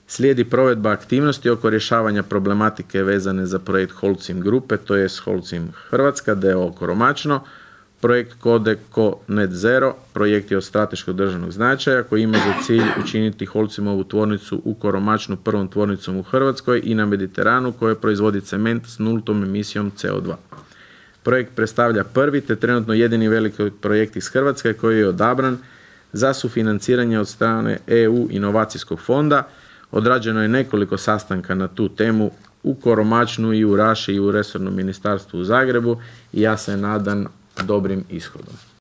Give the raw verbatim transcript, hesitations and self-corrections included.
Slijedi provedba aktivnosti oko rješavanja problematike vezane za projekt Holcim grupe, to je Holcim Hrvatska, d o o Koromačno, projekt Codeco Net Zero, projekt je od strateškog državnog značaja koji ima za cilj učiniti Holcimovu tvornicu u Koromačnu prvom tvornicom u Hrvatskoj i na Mediteranu koja proizvodi cement s nultom emisijom C O dva. Projekt predstavlja prvi te trenutno jedini veliki projekt iz Hrvatske koji je odabran za sufinanciranje od strane E U inovacijskog fonda. Odrađeno je nekoliko sastanka na tu temu u Koromačnu i u Raši i u resornom ministarstvu u Zagrebu i ja se nadam dobrim ishodom.